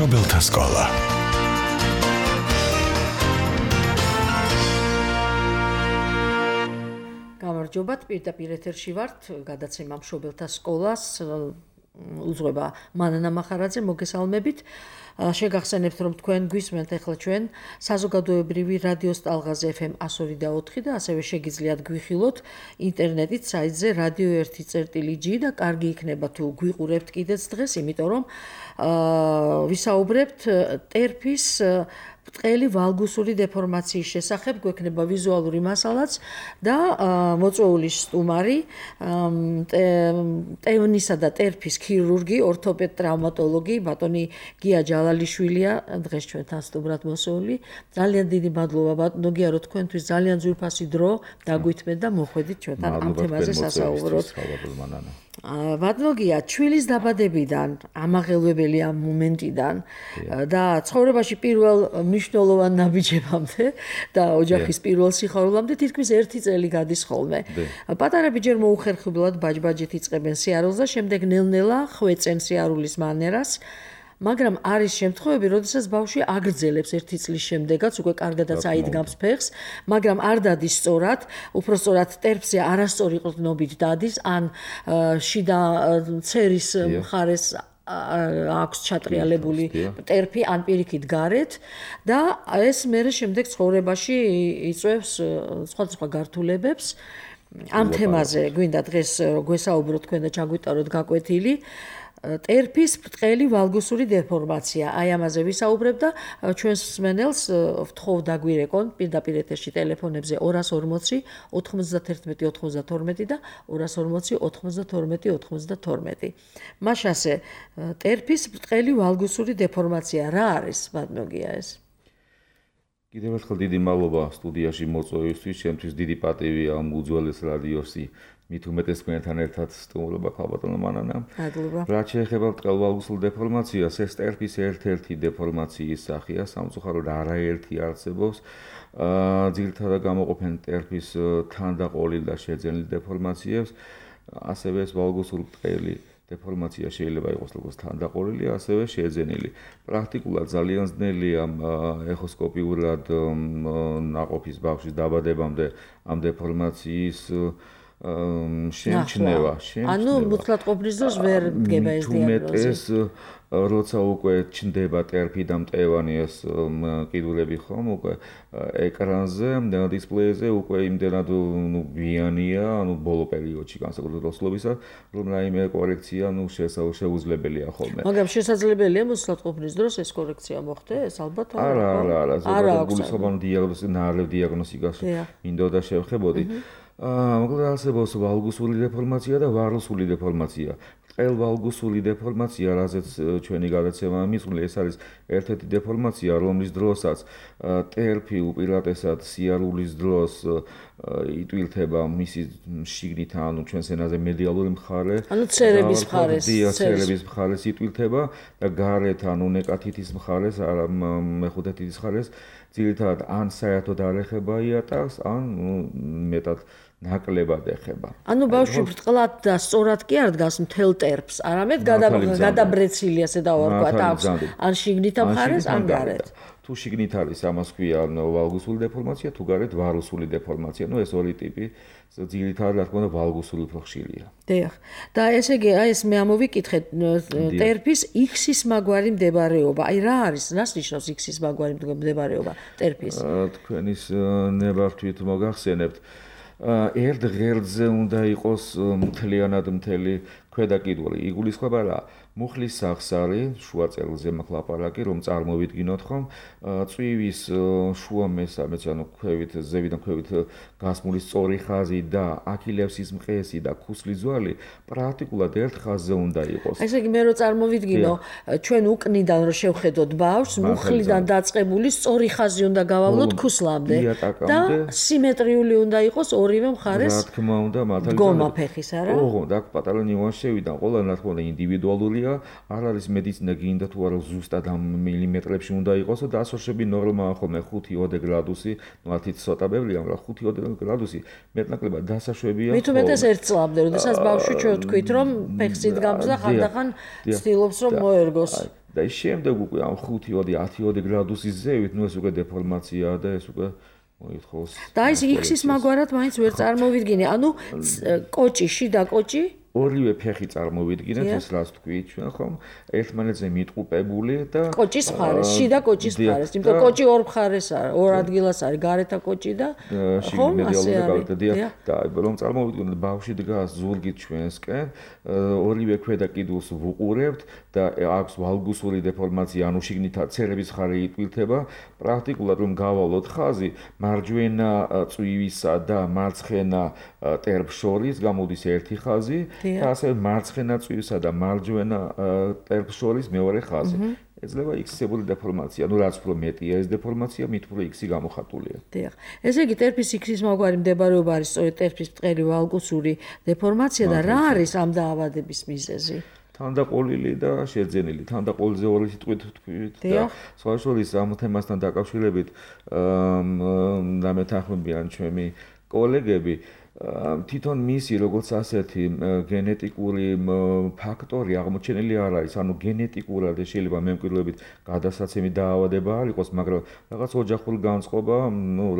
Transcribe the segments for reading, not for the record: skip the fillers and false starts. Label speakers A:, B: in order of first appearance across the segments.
A: მშობელთა სკოლა.
B: გამარჯობათ, პირდაპირ ეთერში ვართ, გადაცემა მშობელთა სკოლას უძღვება მანანა მახარაძე, მოგესალმებით. შეგახსენებთ, რომ თქვენ გვისმენთ ახლა ჩვენ საზოგადოებრივი რადიოს ტალღაზე FM 102.4 და ასევე შეგიძლიათ გვიხილოთ ინტერნეტით საიტზე radio1.g და კარგი იქნება თუ გვიყურებთ კიდეც დღეს, იმიტომ რომ ვისაუბრებთ ტერფის ბრტყელი ვალგუსული დეფორმაციის შესახებ, გვექნება ვიზუალური მასალაც და მოწვეული სტუმარი, ტევნისა და ტერფის ქირურგი, ორთოპედ ტრავმატოლოგი, ბატონი გია ჯალალიშვილია, დღეს ჩვენთან სტუმრად მოსული. ძალიან დიდი მადლობა ბატონო გია, რომ თქვენთვის ძალიან ძვირფასი დრო დაგვითმეთ და მოხვედით ჩვენთან ამ თემაზე სასაუბროთ. ბატონო გია, ჩვილის დაბადებიდან, ამაღელვებელი ამ მომენტიდან და ცხოვრებაში პირველ მნიშვნელოვან ნაბიჯებამდე და ოჯახის პირველ სიხარულამდე თითქმის 1 წელი გადის ხოლმე. პატარები ჯერ მოუხერხებლად ბაჯბაჯით იწყებენ სიარულს და შემდეგ ნელ-ნელა ხვეწენ სიარულის მანერას. მაგრამ არის შემთხვევები, როდესაც ბავშვი აგრძელებს 1 წლის შემდეგაც, უკვე კარგადაც აიდგამს ფეხს, მაგრამ არ დადის სწორად, უფრო სწორად ტერფზე არასწორი ყრდნობით დადის, ან შიდა ცერის მხარეს აქვს ჩატრიალებული ტერფი, ან პირიქით გარეთ და ეს მერე შემდეგ ცხოვრებაში იწვევს სხვადასხვა გართულებებს. ამ თემაზე გვინდა დღეს გვესაუბროთ თქვენ და ჩაგვიტაროთ გაკვეთილი. ტერფის ბრტყელი ვალგუსური დეფორმაცია. აი ამაზე ვისაუბრებ და ჩვენს მსმენელს ვთხოვ დაგვირეკონ პირდაპირ ეთერში ტელეფონებზე 240 91 92 და 240 92 92. მაშასე ტერფის ბრტყელი ვალგუსური დეფორმაცია რა არის, ბატონო გია ეს?
C: კიდევ ერთხელ დიდი მადლობა სტუდიაში მოწვევისთვის, ჩემთვის დიდი პატივია ამ უძველეს რადიოსი მით უმეტეს თქვენთან ერთად სტუმრობა ქალბატონო მანანა.
B: მადლობა.
C: რაც შეეხება ბრტყელვალგუსულ დეფორმაციას, ეს ტერფის ერთ-ერთი დეფორმაციის სახეა, სამწუხაროდ არაერთი არსებობს. ძირითადად გამოყოფენ ტერფის თანდაყოლილ და შეძენილ დეფორმაციებს, ასევე ეს ვალგუსური ბრტყელი დეფორმაცია შეიძლება იყოს როგორც თანდაყოლილი, ასევე შეძენილი. პრაქტიკულად ძალიან ძნელია ეხოსკოპიურად ნაყოფის ბავშვის დაბადებამდე ამ დეფორმაციის შემჩნევა.
B: ანუ მუცლად ყოფნის დროს ვერ დგება ეს დიაგნოზი.
C: როცა უკვე ჩნდება ტერფი და მტევანი ეს კიდურები ხომ უკვე ეკრანზე, დისპლეიზე უკვე იმდენად გვიანია, ბოლო პერიოდში განსაკუთრებით როსლობისა, რომ რაიმე კორექცია შეუძლებელია ხოლმე.
B: მაგრამ შესაძლებელია მუცლად ყოფნის დროს ეს კორექცია მოხდეს, ალბათ
C: არა. ზოგადად გულისხმობ დიაგნოსტიკას მინდოდა შევხებოდი. მოკლედ არსებობს ვალგუსული დეფორმაცია და ვარლუსული დეფორმაცია. ბრტყელვალგუსული დეფორმაცია, რაზეც ჩვენი გადაცემა მისული, ეს არის ერთ-ერთი დეფორმაცია, რომლის დროსაც ტერფი უპირატესად სიარულის დროს იტვილთება მისი შიგნით, ანუ ჩვენს ენაზე მედიალური მხარე,
B: ანუ ცერების მხარეს,
C: ცერების მხარეს იტვილთება და გარეთ, ანუ ნეკათითის მხარეს, არა მეხუთე თითის მხარეს, ძირითადად ან საერთოდ არ ეხება იატაკს, ან მეტად ნაკლებად ეხება.
B: ანუ ბავშვი ბრტყლად და სწორად კი არ დგას მთელ ტერფს, არამედ გადაბრეცილი ასე დავარქვათ აქვს, ან შიგნით მხარეს, ან გარეთ.
C: თუ შიგნით არის, ამას ქვია ვალგუსული დეფორმაცია, თუ გარეთ ვარლუსული დეფორმაცია. ეს ორი ტიპი ძირითადად რა თქმა უნდა ვალგუსული უფრო ხშირია.
B: დიახ. და ესე იგი, აი ეს მე ამოვიკითხეთ, ტერფის X-ის მაგვარი მდებარეობა. აი რა არის? რას ნიშნავს X-ის მაგვარი მდებარეობა ტერფის?
C: თქვენის ნებართვით მოგახსენებთ. ერთ ღერძზე უნდა იყოს მთლიანად მთელი ქვედა კიდური. იგულისხმება რა? მუხლის სახსარი, შუა წერილზე მაქვს ლაპარაკი, რომ წარმოვიდგინოთ ხომ, წვივის შუა მესამეც, ანუ ქვევით, ზევიდან ქვევით გასმული სწორი ხაზი და აქილევსის მყესი და ქუსლის ძვალი პრაქტიკულად ერთ ხაზზე უნდა იყოს.
B: ესე იგი მე რო წარმოვიდგინო, ჩვენ უკნიდან რო შევხედოთ ბავშვს, მუხლიდან დაწყებული სწორი ხაზი უნდა გავავლოთ ქუსლამდე და სიმეტრიული უნდა იყოს ორივე მხარეს.
C: რა თქმა უნდა, მართალია.
B: დგომა ფეხის, არა?
C: ოღონდ აქ პატარა ნიუანსი შევიდა, ყველა რა თქმა უნდა ინდივიდუალურია, არ არის მედიცინა გინდა თუ არა ზუსტად ამ მილიმეტრებში უნდა იყოს და დასორშები ნორმაა ხოლმე 5-20 გრადუსი, ну 10 ცოტა ბევრია, მაგრამ 5-20 გრადუსი მეტნაკლებად დასაშვებია.
B: მით უმეტეს ერთ წლამდე, როდესაც ბავშვი ჩვენ ვთქვით, რომ ფეხს იდგამს და ხანდახან ცდილობს რომ მოერგოს.
C: და ის შემდეგ უკვე ამ 5-10 გრადუსის ზევით, ეს უკვე დეფორმაციაა და ეს უკვე მოითხოვს.
B: და ის X-ის მაგვარად მაინც ვერ წარმოვიდგინე. ანუ კოჭი, შიდა კოჭი
C: ორივე ფეხი წარმოვიდგინეთ, ეს რაც თქვით ჩვენ ხომ, ერთმანეთზე მიტყუპებული და
B: კოჭის მხარეს, შიდა კოჭის მხარეს, იმიტომ რომ კოჭი ორ მხარეს არის, ორ ადგილას არის, გარეთა კოჭი და
C: ხომ ასე არის. და რომ წარმოვიდგინოთ, ბავშვი დგას ზურგით ჩვენსკენ, ორივე ქვედა კიდურს ვუყურებთ და აქვს ვალგუსური დეფორმაცია, ანუ შიგნითა ცერების ხარი იტკვილთება, პრაქტიკულად რომ გავალოთ ხაზი, მარჯვენა წვივისა და მარცხენა ტერფს შორის გამოდის ერთი ხაზი. და ასე მარცხენა წვივსა და მარჯვენა ტერფს შორის მეორე ხაზი. ეძლევა X-ებული დეფორმაცია. ანუ რაც უფრო მეტია ეს დეფორმაცია, მით უფრო X-ი გამოხატულია.
B: დიახ. ესე იგი ტერფის X-ის მაგვარი მდებარეობა არის სწორედ ტერფის ბრტყელი ვალგუსური დეფორმაცია და რა არის ამ დაავადების მიზეზი?
C: თანდაყოლილი და შეძენილი. თანდაყოლიზე ორი სიტყვით თქვით და სხვა შორის ამ თემასთან დაკავშირებით დამეთანხმებიან ჩემი კოლეგები. თვითონ მისი როგორც ასეთი გენეტიკური ფაქტორი აღმოჩენილი არ არის, ანუ გენეტიკურად შეიძლება მემკვიდრეობით გადასაცემი დაავადება არ იყოს, მაგრამ რაღაც ოჯახური განწყობა,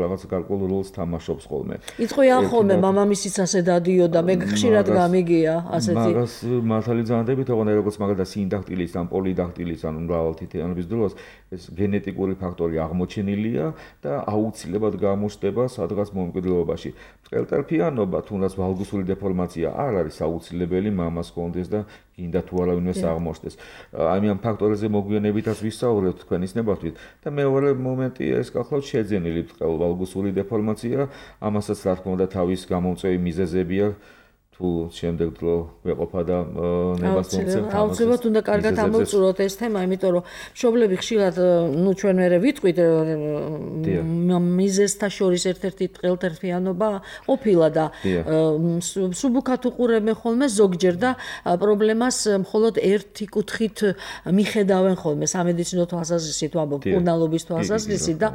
C: რაღაც გარკვეულ როლს თამაშობს ხოლმე.
B: იწყვიან ხოლმე მამამისიც ასე დადიოდა, მე ხშირად გამიგია ასეთი.
C: მაგას მართალი ზანდებით, ოღონდ როგორც მაგალითად სინდაქტილის ან პოლიდაქტილის, ანუ მრავალთითიანობის დროს ეს გენეტიკური ფაქტორი აღმოჩენილია და აუცილებლად გამოჩნდება სადღაც მომკვიდრეობაში. ბრტყელტერფიანობა, თუნდაც ვალგუსური დეფორმაცია არ არის აუცილებელი მამას კონდეს და გინდა თუ არავინეს აღმოჩნდეს. ამ ფაქტორებზე მოგვიანებითაც ვისაუბრებთ თქვენის ნებართვით და მეორე მომენტია ეს გახლავთ შეძენილი ვალგუსური დეფორმაცია, ამასაც რა თქმა უნდა თავის გამომწვევი მიზეზებია. თუ შემდეგ დრო ვეყოფა და ნებას მომწევთ ამას.
B: აუცილებლად უნდა კარგად ამოვწუროთ ეს თემა, იმიტომ რომ მშობლები ხშირად, ჩვენ მერე ვიტყვით, მიზეზთა შორის ერთ-ერთი ბრტყელტერფიანობა ყოფილა და სუბუქად უყურებენ ხოლმე ზოგჯერ და პრობლემას მხოლოდ ერთი კუთხით მიხედავენ ხოლმე, სამედიცინო თვალსაზრისით ვამბობ, მკურნალობის თვალსაზრისით და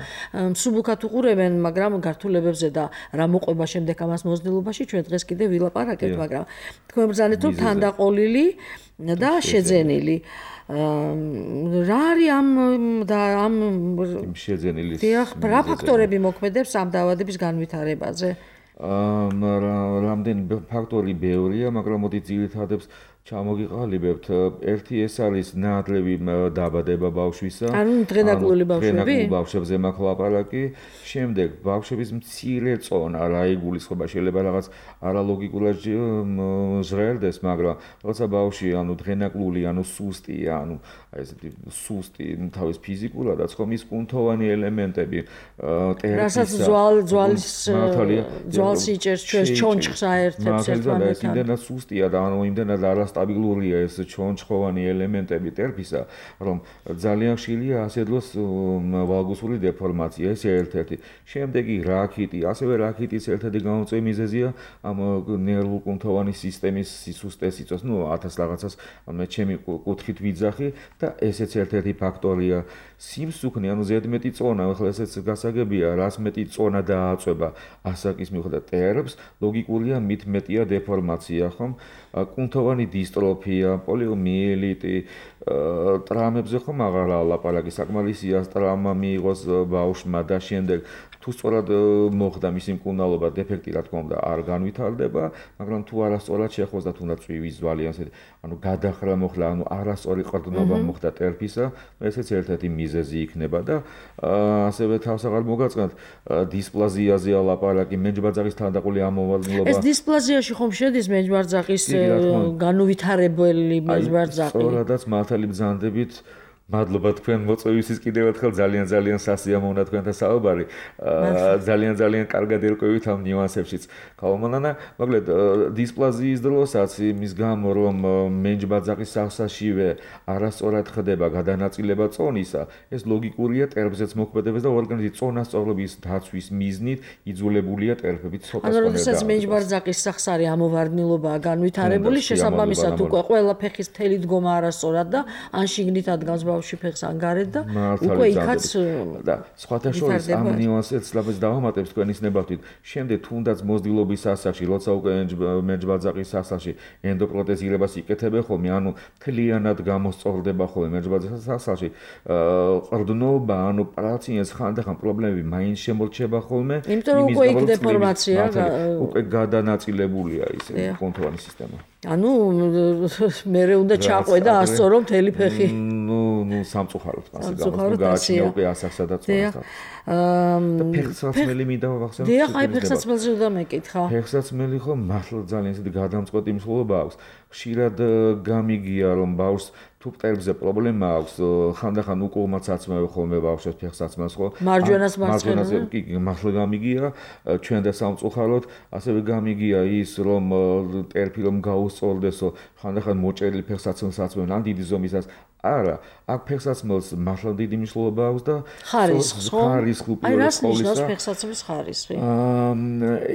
B: სუბუქად უყურებენ, მაგრამ გართულებებზე და რა მოყვება შემდეგ ამას მოძნელობაში ჩვენ დღეს კიდე ვილაპარაკებთ. მაგრამ თქვენ ბრძანეთ რომ თანდაყოლილი და შეძენილი რა არის ამ
C: შეძენილის
B: რა ფაქტორები მოქმედებს ამ დაავადების განვითარებაზე?
C: რამდენი ფაქტორი ბევრია, მაგრამ მოდი ძირითადებს ჩამოგიყალიბებთ. ერთი ეს არის ნაადრევი დაბადება ბავშვისა.
B: ანუ დღენაკლული ბავშვები?
C: დღენაკლულ ბავშვებზე მაქვს ლაპარაკი. შემდეგ ბავშვების მცირე წონა, რა იგულისხმება, შეიძლება რაღაც არალოგიკურად ჟღერდეს, მაგრამ როცა ბავშვი ანუ დღენაკლული, ანუ სუსტია, ანუ ესეთი სუსტი თავის ფიზიკურადაც ხომ ის კუნთოვანი ელემენტები
B: რასაც ძვალს იჭერს ჩვენს ჩონჩხს აერთებს ერთმანეთთან.
C: იმდენად სუსტია და ანუ იმდენად არასტაბილურია ეს ჩონჩხოვანი ელემენტები ტერფისა, რომ ძალიან ხშირია ასედლოს ვალგუსური დეფორმაცია, ეს ერთ-ერთი. შემდეგი რაქიტი, ასევე რაქიტის ერთ-ერთი გამომწვევი მიზეზია ამ ნერვულ-კუნთოვანი სისტემის სისუსტეს იწვევს, 1000 რაღაცას მე ჩემი კუთხით ვიძახი და ესეც ერთ-ერთი ფაქტორია. სიმსუქნე, ანუ ზედმეტი წონა, ახლა ესეც გასაგებია, რას მეტი წონა დააწვება ასაკის მიუხედავად ტერფს, ლოგიკურია მით მეტია დეფორმაცია, ხომ? კუნთოვანი დისტროფია, პოლიომიელიტი, ტრამებზე ხომ აღარა ლაპარაკი, საკმარისია ტრამა მიიღოს ბავშვმა და შემდეგ თუ სწორად მოხდა მისი მკურნალობა, დეფექტი რა თქმა უნდა არ განვითარდება, მაგრამ თუ არასწორად შეხვდეს და თუნდაც წვივის ძვალი ასეთი, ანუ გადახრა მოხდა, ანუ არასწორი ყრდნობა მოხდა ტერფისა, ესეც ერთ-ერთი მიზეზი იქნება და ასევე თავს აღარ მოგაწყნათ დისპლაზიაზეა ლაპარაკი, მენჯბაძაღის თანდაყოლი ამოვარდნილობა.
B: ეს დისპლაზიაში ხომ შედის მენჯბაძაღის განუვითარებელი მენჯბაძაღი?
C: სწორადაც მართალი ბრძანდებით. მადლობა თქვენ მოწვევისთვის კიდევ ერთხელ ძალიან სასიამოვნოა თქვენთან საუბარი. ძალიან კარგად ერკვევით ამ ნიუანსებშიც. ხალხმონა, მოკლედ დისპლაზიის დროსაც იმის გამო რომ მენჯბაძაღის სახსაშივე არასწორად ხდება გადანაწილება წონისა, ეს ლოგიკურია ტერფზეც მოქმედებს და ორგანიზმის წონასწორობის დაცვის მიზნით იძულებულია ტერფებით ცოტა
B: ანუ როდესაც მენჯბაძაღის სახსარი ამოვარდნილობაა განვითარებული, შესაბამისად უკვე ყველა ფეხის მთელი დგომა არასწორად და ან შიგნით ადგას ბავშვი ფეხს ან გარეთ და უკვე იქაც
C: და სხვათა შორის ამ ნიუანსებს ლაბაზ დავამატებს თქვენ ის ნებართვით. შემდეგ თუნდაც მოზრდილობის ასაკში, როცა უკვე მერჯბაძაყის ასაკში ენდოპროტეზირებას იკეთებენ ხოლმე, ანუ მთლიანად გამოსწორდება ხოლმე მერჯბაძაყის ასაკში, ყრდნობა, ანუ პაციენტს ხანდახან პრობლემები მაინც შემორჩება ხოლმე.
B: იმიტომ რომ უკვე იქ დეფორმაცია,
C: უკვე გადანაწილებულია ის კონტროლი სისტემა.
B: ანუ მე უნდა ჩაყვე და ასწორო მთელი ფეხი.
C: ნუ სამწუხაროდ ასე გამოდის. გააჩნია უკვე ასაკსა და წონასთან. ფეხსაცმელი მინდა ვახსენო.
B: დიახ, აი ფეხსაცმელზე უნდა მეკითხა.
C: ფეხსაცმელი ხო მართლა ძალიან ისეთი გადამწყვეტი მსვლელობა აქვს. ხშირად გამიგია რომ ბავშვს თუ მტერებზე პრობლემა აქვს, ხანდახან უკუღმაც აცმევ ხოლმე ბავშვებს ფეხსაცმელს ხო?
B: მარჯვენას მარცხენაზე.
C: კი, მართლა გამიგია, ჩვენ და სამწუხაროდ, ასევე გამიგია ის რომ ტერფი რომ გაუსწორდესო, ხანდახან მოჭერილი ფეხსაცმელს აცმევენ, ან დიდი ზომისაც. არა, აქ ფეხსაცმელს მართლა დიდი მნიშვნელობა აქვს და ხარისხი
B: აი რას ნიშნავს ფეხსაცმლის ხარისხი?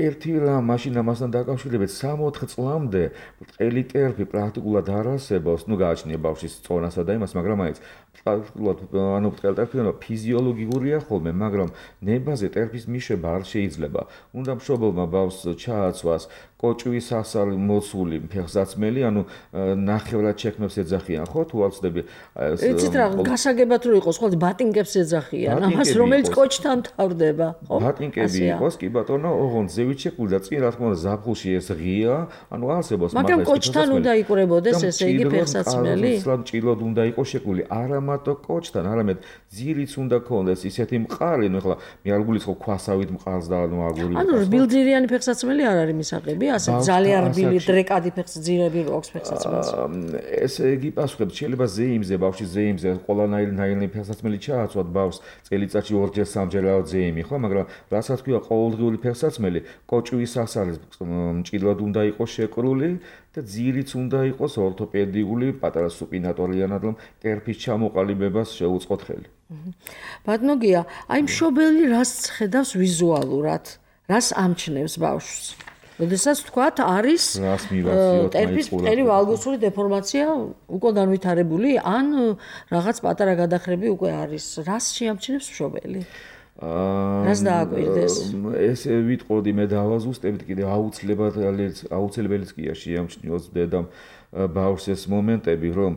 C: ერთი რამ მაშინ ამასთან დაკავშირებით 3-4 წლამდე ბრტყელი ტერფი პრაქტიკულად არ არსებობს, ნუ გააჩნია ბავშვის წონასა და იმას, მაგრამ აიც პრაქტიკულად ანუ ბრტყელი ტერფი ფიზიოლოგიურია ხოლმე, მაგრამ ნებაზე ტერფის მიშება არ შეიძლება. უნდა მშობელმა ბავშვს ჩააცვას კოჭვის ასალი მოცული ფეხსაცმელი, ანუ ნახევრად შექმნებს ეძახიან, ხო? თუ არ ვწდები
B: იცით რა, გასაგებად რო იყოს, ხო, ბატინკებს ეძახიან, ამას რომელიც კოჭთან თავდება, ხო?
C: ბატინკები იყოს, კი ბატონო, ოღონდ ზევით შექმნილი და წინ რა თქმა უნდა ზაფხულში ეს ღია, ანუ არსებობს
B: მაგრამ კოჭთან უნდა იყურებოდეს ესე იგი ფეხსაცმელი?
C: ჭილოდ უნდა იყოს შექმნილი, არა მარტო კოჭთან, არამედ ძირიც უნდა ქონდეს ისეთი მყარი, ნუ ახლა მე არ გულისხმობ ქვასავით მყარს და ანუ აგური.
B: ანუ რბილძირიანი ფეხსაცმელი არ არის მისაღები? ასე ძალიან რბილი დრეკადი ფეხსაცმელი აქვს ფეხსაცმელს.
C: ესე იგი პასუხებს შეიძლება ზეიმზე, ბავშვის ზეიმზე ყველანაირი ფეხსაცმელი ჩააცვათ ბავშვს წელიწადში 2-ჯერ 3-ჯერ ზეიმი, ხო, მაგრამ რასაც ქვია ყოველდღიური ფეხსაცმელი, კოჭვის ასალის მჭიდროდ უნდა იყოს შეკრული და ძირიც უნდა იყოს ორთოპედიული, პატარა სუპინატორიანად, რომ ტერფის ჩამოყალიბებას შეუწყოთ ხელი.
B: ბატონო გია, აი მშობელი რას ხედავს ვიზუალურად? რას ამჩნევს ბავშვს? როდესაც თქვათ არის ტერფის ბრტყელი ვალგოსური დეფორმაცია უკვე განვითარებული, ან რაღაც პატარა გადახრები უკვე არის. რას შეამჩნევს მშობელი? რას დააკვირდეს?
C: ესე ვიტყოდი მე დავაზუსტებთ კიდე აუცილებელიც კია შეამჩნიოს დედამ ბავშვს ეს მომენტები, რომ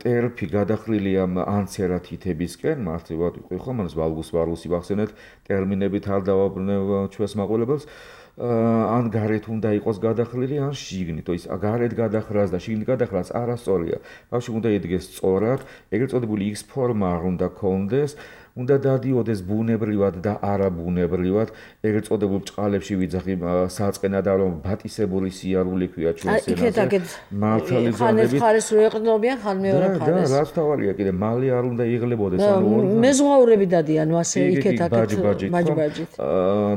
C: ტერფი გადახრილია ანცერათითებისკენ, მართლაც ვიყო ხომ, ანუ ვალგუსი ვახსენეთ, ტერმინებით არ დავაბრუნებ ჩვენს მაყურებელს. ან გარეთ უნდა იყოს გადახრილი, ან შიგნით. ის გარეთ გადახრას და შიგნით გადახრას არასწორია. ბავშვი უნდა იდგეს სწორად, ეგრეთ წოდებული X ფორმა არ უნდა ქონდეს. უნდა დადიოდეს ბუნებრივად და არაბუნებრივად, ეგრეთ წოდებულ ჭყალებში ვიძახი საწყენად რომ ბატისებული სიარული ქვია ჩვენს ენაზე. მართალი
B: ხანეს ხარეს რო ეყნობიან, ხან მეორე ხარეს.
C: და რაც თავარია კიდე მალე არ უნდა იღლებოდეს, ანუ
B: მეზღვაურები დადიან ასე იქეთ-აქეთ ბაჯბაჯით.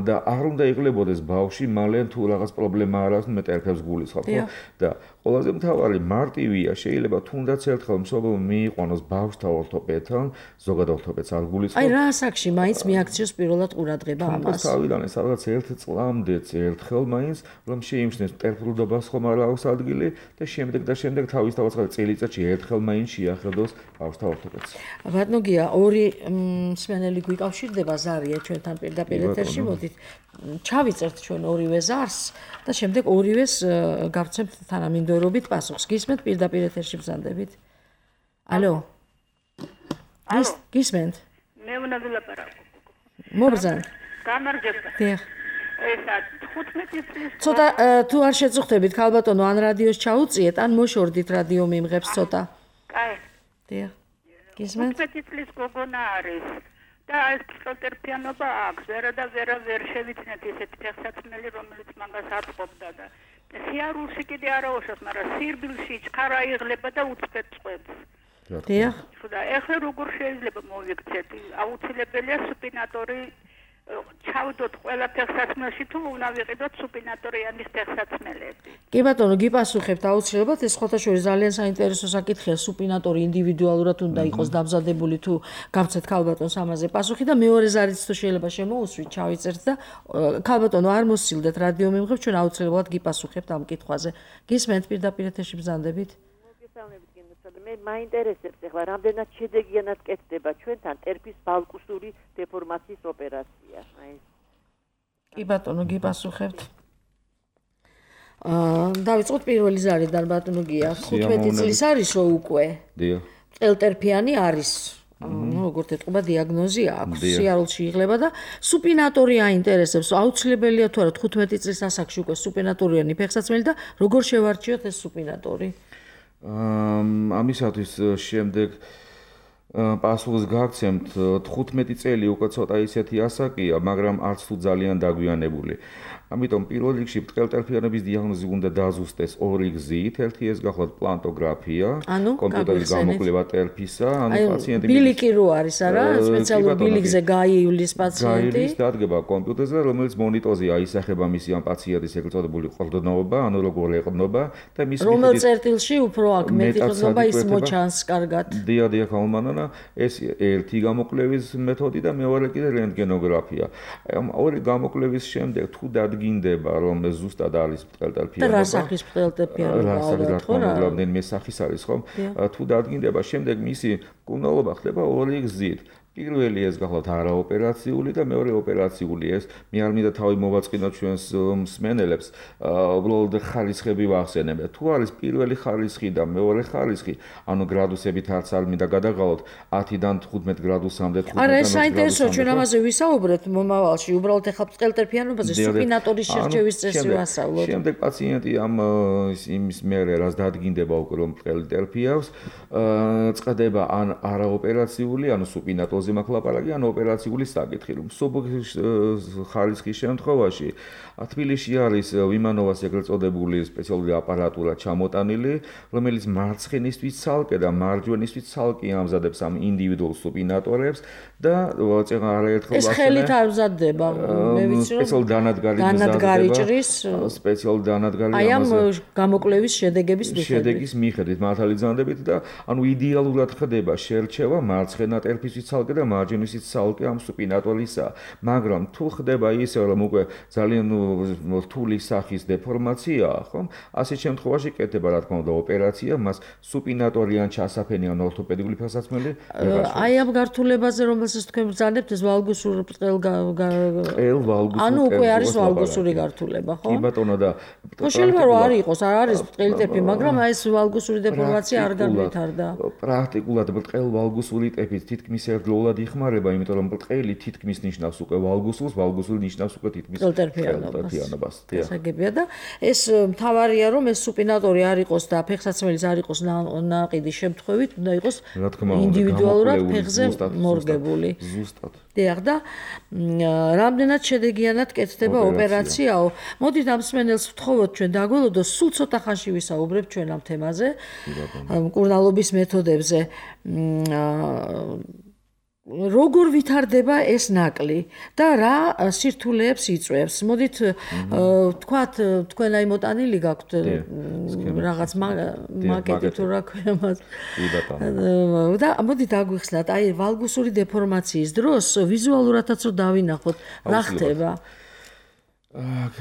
C: და არ უნდა იღლებოდეს ბავშვი მალე თუ რაღაც პრობლემა არ აქვს, მე ტერფებს გულისხმობ, ხო? და ყველაზე მთავარი მარტივია, შეიძლება თუნდაც ერთხელ მშობელმა მიიყვანოს ბავშვთა ორთოპედთან, ზოგადად ორთოპედს არ გულისხმობ.
B: აი რა ასაკში მაინც მიაქციოს პირველად ყურადღება ამას?
C: თავიდან ეს რაღაც 1 წლამდეც ერთხელ მაინც რომ შეიმჩნევს ტერფულობას ხომ არ აქვს ადგილი და შემდეგ თავისთავად წელიწადში ერთხელ მაინც შეახედოს ბავშვთა ორთოპედს.
B: ბატონო გია, ორი მსმენელი გვიკავშირდება ზარია ჩვენთან პირდაპირ ეთერში, მოდით ჩავიწერთ ჩვენ ორივე ზარს და შემდეგ ორივეს გავცემთ თანამინდორობით პასუხს. გისმენთ პირდაპირ ეთერში ბრძანდებით? ალო? გისმენთ?
A: მე უნდა ვილაპარაკო.
B: მობრძანეთ.
A: გამარჯობა.
B: დიახ.
A: ესა 15 წლის.
B: ცოტა თუ არ შეწუხდებით, ქალბატონო, ან რადიოს ჩაუწიეთ, ან მოშორდით რადიო მიმღებს ცოტა.
A: კაი.
B: დიახ. გისმენთ?
A: 15 წლის გოგონა არის. და ეს პროტერფიანობა აქვს. ვერ შევიცნეთ ესეთი ფეხსაცმელი, რომელიც მაგას ატყობდა და სიარულში კიდე არაუშავს, მაგრამ სირბილში ჩქარა იღლება და უწყვეტ წვებს.
B: დიახ.
A: და ეხლა როგორ შეიძლება მოვიქცეთ? აუცილებელია სუპინატორი ჩავდოთ ყველა ფეხსაცმელში თუ უნდა ვიყიდოთ სუპინატორიანის ფეხსაცმელები.
B: კი ბატონო, გიპასუხებთ აუცილებლად, ეს ხოთაშორის ძალიან საინტერესო საკითხია, სუპინატორი ინდივიდუალურად უნდა იყოს დამზადებული თუ გავცეთ ქალბატონს ამაზე პასუხი და მეორე ზარიც თუ შეიძლება შემოუსვით, ჩავიწერთ და ქალბატონო არ მოსილდეთ რადიო მიმღებ, ჩვენ აუცილებლად გიპასუხებთ ამ კითხვაზე. გისმენთ პირდაპირ ეთერში ბრძანდებით?
D: მოგესალმებით გენდათ მე მაინტერესებს ახლა რამდენად შედეგიანად კეთდება ჩვენთან ტერფის ბალკუსური დეფორმაციის ოპერაცია.
B: კი ბატონო, გიპასუხებთ. დავიწყოთ პირველი ზარიდან ბატონო გია. 15 წლის არისო უკვე.
C: დიახ.
B: ელტერფიანი არის. როგორც ეთყობა დიაგნოზი აქვს, სიარულში იღლება და სუპინატორი აინტერესებს. აუცილებელია თუ არა 15 წლის ასაკში უკვე სუპინატორიანი ფეხსაცმელი და როგორ შევარჩიოთ ეს სუპინატორი?
C: ამისათვის შემდეგ პასუხს გაგცემთ 15 წელი უკვე ცოტა ისეთი ასაკია, მაგრამ არც თუ ძალიან დაგვიანებული. ამიტომ პირველ რიგში ბრტყელტერფიანობის დიაგნოზი უნდა დაზუსტეს ორი გზით. ერთი ეს გახლავთ პლანტოგრაფია, კომპიუტერის გამოკვლევა ტერფისა, პაციენტი
B: ბილიკი რო არის არა, სპეციალურ ბილიკზე გაივლის პაციენტი.
C: გაივლის დადგება კომპიუტერზე, რომელიც მონიტორზე აისახება მისი ამ პაციენტის ეგრეთ წოდებული ყრდნობა, ანუ როგორ ეყრდნობა და მის მიხედვით
B: რომელ წერტილში უფრო აქ მეტი ყრდნობა ის მოჩანს კარგად.
C: დიახ, ხალმანანა, ეს ერთი გამოკვლევის მეთოდი და მეორე კიდე რენტგენოგრაფია. ამ ორი გამოკვლევის შემდეგ თუ დადგინდება, რომ ეს ზუსტად არის ბრტყელტერფიანობა.
B: და რა სახის ბრტყელტერფიანობა ალბათ ხო რა?
C: რამდენიმე სახის არის ხომ? თუ დადგინდება, შემდეგ მისი მკურნალობა ხდება ორი გზით. პირველი ეს გახლავთ არაოპერაციული და მეორე ოპერაციული ეს მე არ მინდა თავი მოვაწყინოთ ჩვენს მსმენელებს უბრალოდ ხარისხები ვახსენებ თუ არის პირველი ხარისხი და მეორე ხარისხი ანუ გრადუსებით არც არ მინდა გადაღალოთ 10-დან 15 გრადუსამდე 15-დან 20
B: არა ეს საინტერესოა ჩვენ ამაზე ვისაუბრებთ მომავალში უბრალოდ ეხლა ბრტყელტერფიანობაზე სუპინატორის შერჩევის წესი ვასწავლოთ
C: შემდეგ პაციენტი ამ იმის მერე რაც დადგინდება უკვე რომ ბრტყელტერფიავს წყდება ან არაოპერაციული ანუ სუპინატორი ზემოკლაპარაკი ან ოპერაციული საკითხი რომ სუბოქის ხარისხის შემთხვევაში თბილისში არის ვიმანოვას ეგრეთ წოდებული სპეციალური აპარატურა ჩამოტანილი რომელიც მარცხენისთვის ცალკე და მარჯვენისთვის ცალკე ამზადებს ამ ინდივიდუალურ სუპინატორებს და წეღა არაერთხელ
B: ეს ხელით არ მზადდება მე ვიცი რომ
C: სპეციალურ
B: დანადგარი ჭრის
C: სპეციალურ დანადგარი
B: აი ამ გამოკვლევის შედეგის
C: მიხედვით მართალი ძანდებით და ანუ იდეალურად ხდება შერჩევა მარცხენა ტერფისთვის ცალკე და მარჯვენისთვის ცალკე ამ სუპინატორისა მაგრამ თუ ხდება ისე რომ უკვე ძალიან რთული სახის დეფორმაციაა ხომ ასეთ შემთხვევაში კეთდება რა თქმა უნდა ოპერაცია მას სუპინატორიან ჩასაფენი ან ორთოპედიული ფეხსაცმელი
B: აი ამ გართულებაზე რომელსაც თქვენ ბრძანებთ ეს ვალგუსური ანუ უკვე არის ვალგუსური გართულება ხო
C: კი ბატონო და
B: შეიძლება რომ არ იყოს არ არის ბრტყელტერფი მაგრამ აი ეს ვალგუსური დეფორმაცია არ განვითარდა
C: პრაქტიკულად ბრტყელ ვალგუსური ტეფის თითქმის ერთდროულად იხმარება იმიტომ რომ ბრტყელი თითქმის ნიშნავს უკვე ვალგუსურს ვალგუსური ნიშნავს უკვე თითქმის ბრტყელტერფიანობას
B: გასაგებია და ეს მთავარია რომ ეს სუპინატორი არ იყოს და ფეხსაცმელის არ იყოს ნაყიდი შემთხვევით უნდა იყოს ინდივიდუალურად ფეხზე მორგებული
C: ზუსტად
B: დიახ და რამდენად შედეგიანად კეთდება ოპერაციაო მოდით ამ მსმენელს ვთხოვოთ ჩვენ დაგველოდოს სულ ცოტა ხანში ვისაუბრებთ ჩვენ ამ თემაზე მკურნალობის მეთოდებზე როგორ ვითარდება ეს ნაკლი და რა სირთულეებს იწვევს მოდით თქვათ თქვენ აი მოტანილი გაქვთ რაღაც მაკეტი თუ რა ქვია მას და მოდით აგვიხსნათ აი ვალგუსური დეფორმაციის დროს ვიზუალურადაც რომ დავინახოთ რა ხდება
C: აქ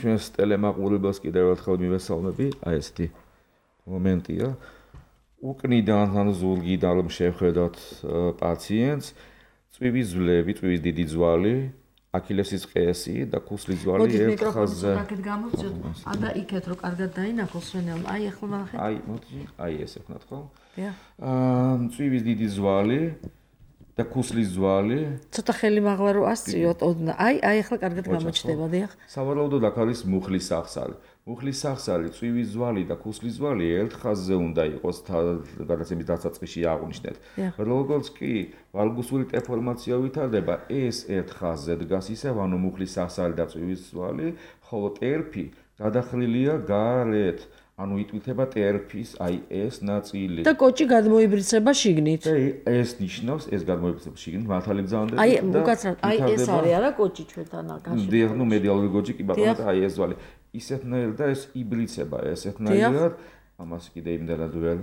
C: ჩვენს ტელემაყურებელს კიდევ ერთხელ მივესალმები აი ესეთი მომენტია უკნიდან ან ზურგიდან რომ შევხედოთ პაციენტს წვივის ძვლები, წვივის დიდი ძვალი, აქილესის ყესი და ქუსლის ძვალი ერთ ხაზზე.
B: აქეთ გამოვწიოთ, და იქეთ რომ კარგად დაინახოს სვენელმა. აი ახლა ნახეთ.
C: აი, მოდი, აი ესე ვქნათ ხო? წვივის დიდი ძვალი და ქუსლის ძვალი.
B: ცოტა ხელი მაღლა რო ასწიოთ, აი ახლა კარგად გამოჩნდება, დიახ.
C: სავარაუდოდ აქ არის მუხლის სახსარი. მუხლის სახსარი, წვივის ძვალი და ქუსლის ძვალი ერთ ხაზზე უნდა იყოს გადაცემის დასაწყისში აღვნიშნეთ. როგორც კი ვალგუსური დეფორმაცია ვითარდება, ეს ერთ ხაზზე დგას ისევ, ანუ მუხლის სახსარი და წვივის ძვალი, ხოლო ტერფი გადახრილია გარეთ. ანუ იტვირთება ტერფის აი ეს ნაწილი.
B: და კოჭი გადმოიბრიცება შიგნით.
C: ეს ნიშნავს, ეს გადმოიბრიცება შიგნით, მართალი ბრძანდება.
B: აი, უკაცრავად, აი ეს არის არა კოჭი ჩვენთან აქაში.
C: დიახ, ნუ მედიალური კოჭი კი ბატონო და აი ეს ძვალი. ისეთნაირად და ეს იბრიცება ესეთნაირად. ამას კიდე იმდანად ვერ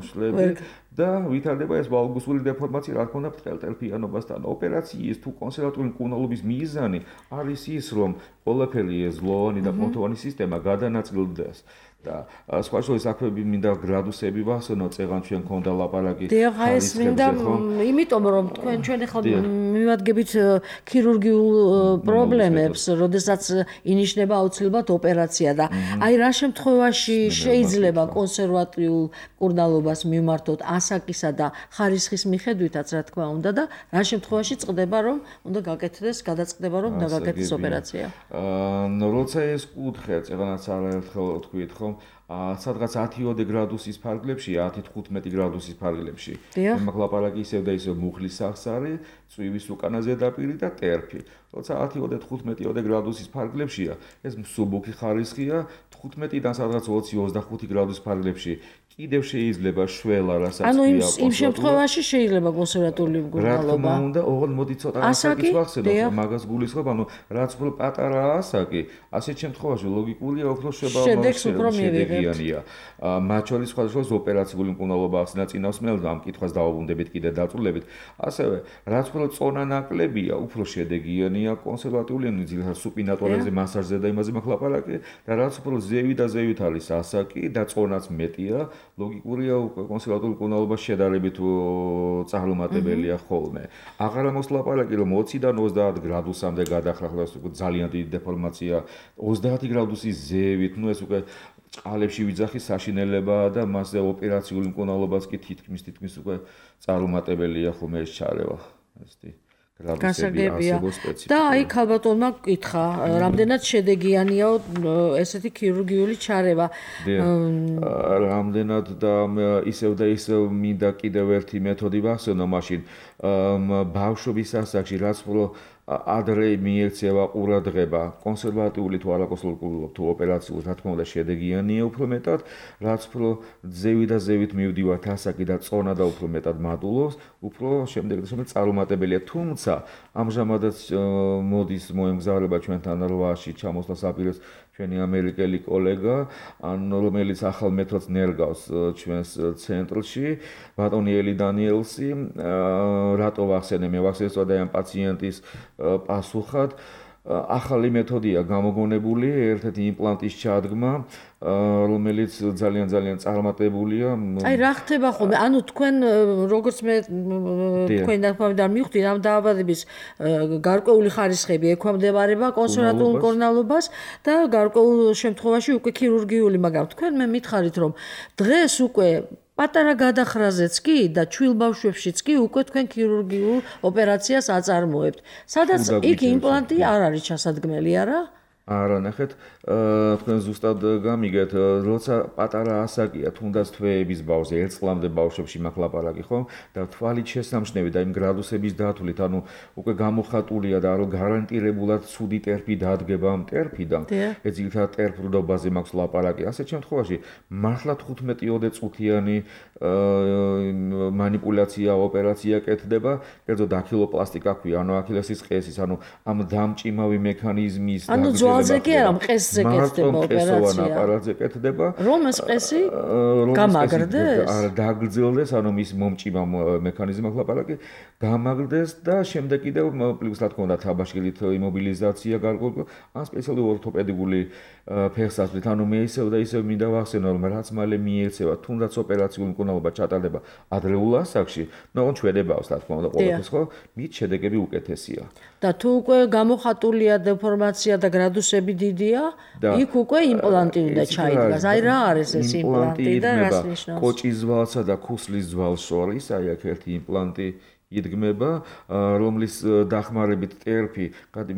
C: შლები და ვითარდება ეს ვალგუსური დეფორმაცია, რა თქმა უნდა, ბრტყელტერფიანობასთან. ოპერაციის თუ კონსერვატიული მკურნალობის მიზანი არის ის, რომ ყველაფერი ეს ზლოვანი და პონტოვანი სისტემა გადანაწილდეს. და სხვა შორის აქვე მინდა გრადუსები ვახსენო, წეგან ჩვენ ქონდა ლაპარაკი.
B: დიახ, ეს მინდა, იმიტომ რომ ჩვენ ახლა მივადგებით ქირურგიულ პრობლემებს, როდესაც ინიშნება აუცილებლად ოპერაცია და აი რა შემთხვევაში შეიძლება კონსერვატიულ მკურნალობას მიმართოთ ასაკისა და ხარისხის მიხედვითაც, რა თქმა უნდა და რა შემთხვევაში წყდება რომ უნდა გაკეთდეს, გადაწყდება რომ უნდა გაკეთდეს ოპერაცია.
C: როცა ეს კუთხე წეგანაც არაერთხელ თქვით ხომ სადღაც 10-20 გრადუსის ფარგლებში, 10-15 გრადუსის ფარგლებში. მაგ ლაპარაკი ისევ და ისევ მუხლის სახსარი, წვივის უკანა ზედაპირი და ტერფი. როცა 10-15 გრადუსის ფარგლებშია, ეს მსუბუქი ხარისხია, 15-დან სადღაც 20-25 გრადუსის ფარგლებში კიდევ შეიძლება შველა, რასაც
B: ანუ იმ შემთხვევაში შეიძლება კონსერვატიული მკურნალობა.
C: რა თქმა უნდა, ოღონდ მოდი ცოტა ასაკის ვახსენოთ, მაგას გულისხმობ, ანუ რაც უფრო პატარა ასაკი, ასეთ შემთხვევაში ლოგიკურია უფრო შედეგიანია. მათ შორის სხვადასხვა ოპერაციული მკურნალობა ახსნა წინასწარმეტყველს, ამ კითხვას დავუბრუნდებით კიდე დაწვრილებით. ასევე, რაც უფრო წონა ნაკლებია, უფრო შედეგიანია კონსერვატიული, ანუ ძირითადად სუპინატორებზე, მასაჟზე და იმაზე მაქვს ლაპარაკი და რაც უფრო ზევით და ზევით არის ასაკი და წონაც მეტია, ლოგიკურია კონსერვატული მკურნალობა შედარებით წარუმატებელია ხოლმე. აღარ ამოს ლაპარაკი რომ 20-დან 30 გრადუსამდე გადახრახლა ძალიან დიდი დეფორმაცია, 30 გრადუსის ზევით, ეს უკვე წყალებში ვიძახის საშინელებაა და მასზე ოპერაციული მკურნალობაც კი თითქმის უკვე წარუმატებელია ხოლმე ეს ჩარევა. ესეთი
B: გასაგებია. და აი ქალბატონმა გკითხა, რამდენად შედეგიანიაო ესეთი ქირურგიული ჩარევა.
C: რამდენად და ისევ და ისევ მინდა კიდევ ერთი მეთოდი ვახსენო მაშინ ბავშვობის ასაკში რაც უფრო ადრე მიექცევა ყურადღება კონსერვატიული თუ არაკონსერვატიული თუ ოპერაციული, რა თქმა უნდა შედეგიანია უფრო მეტად, რაც უფრო ზევით და ზევით მივდივართ ასაკი და წონა და უფრო მეტად მატულობს, უფრო შემდეგ წარუმატებელია. თუმცა ამჟამადაც მოდის მოემგზავრება ჩვენთან რვაში ჩამოსვლას აპირებს ჩვენი ამერიკელი კოლეგა, რომელიც ახალ მეთოდს ნერგავს ჩვენს ცენტრში, ბატონი ელი დანიელსი, რატო ვახსენე, მე ვახსენე სწორედ ამ პაციენტის პასუხად. ახალი მეთოდია გამოგონებული, ერთ-ერთი იმპლანტის ჩადგმა, რომელიც ძალიან წარმატებულია.
B: აი რა ხდება ხოლმე? ანუ თქვენ როგორც მე თქვენ დათქვამიდან მივხვდი, ამ დაავადების გარკვეული ხარისხები ექვემდებარება კონსერვატულ მკურნალობას და გარკვეულ შემთხვევაში უკვე ქირურგიული, მაგრამ თქვენ მე მითხარით რომ დღეს უკვე პატარა გადახრაზეც კი და ჩვილ ბავშვებშიც კი უკვე თქვენ ქირურგიულ ოპერაციას აწარმოებთ. სადაც იქ იმპლანტი არ არის ჩასადგმელი, არა?
C: არა, ნახეთ, თქვენ ზუსტად გამიგეთ, როცა პატარა ასაკია, თუნდაც თვეების ბავშვზე, 1 წლამდე ბავშვებში მაქვს ლაპარაკი, ხო? და თვალით შესამჩნევი და იმ გრადუსების დათვლით, ანუ უკვე გამოხატულია და რომ გარანტირებულად ცუდი ტერფი დადგება ამ ტერფიდან. ეს ძირითადად ტერფრდობაზე მაქვს ლაპარაკი. ასეთ შემთხვევაში მართლა 15-20 წუთიანი манипуляция ოპერაცია კეთდება, კერძო დაქილოპლასტიკა ქვია, ანუ აქილესის ყესის, ანუ ამ დამჭიმავი მექანიზმის
B: ძვალზე კი არა, მყესზე კეთდება ოპერაცია.
C: აპარატზე კეთდება.
B: რომ ეს ყესი გამაგრდეს?
C: არა, დაგრძელდეს, ანუ მის მომჭიმავ მექანიზმი აქვს ლაპარაკი, გამაგრდეს და შემდეგ კიდევ პლუს რა თქმა უნდა თაბაშირით იმობილიზაცია გარკვეული, ან სპეციალური ორთოპედიკული ფეხსაცმლით, ანუ მე ისევ და ისევ მინდა ვახსენო, რომ რაც მალე მიექცევა, თუნდაც ოპერაციული მკურნალობა ჩატარდება ადრეულ ასაკში, ნუ ჩვენებავს რა თქმა უნდა ყოველთვის, ხო? მით შედეგები უკეთესია.
B: და თუ უკვე გამოხატულია დეფორმაცია და გრადუსები დიდია, იქ უკვე იმპლანტი უნდა ჩაიდგას. აი რა არის ეს იმპლანტი და რას ნიშნავს?
C: კოჭის ძვალსა და ქუსლის ძვალს შორის, აი აქ ერთი იმპლანტი იდგმება, რომლის დახმარებით ტერფი,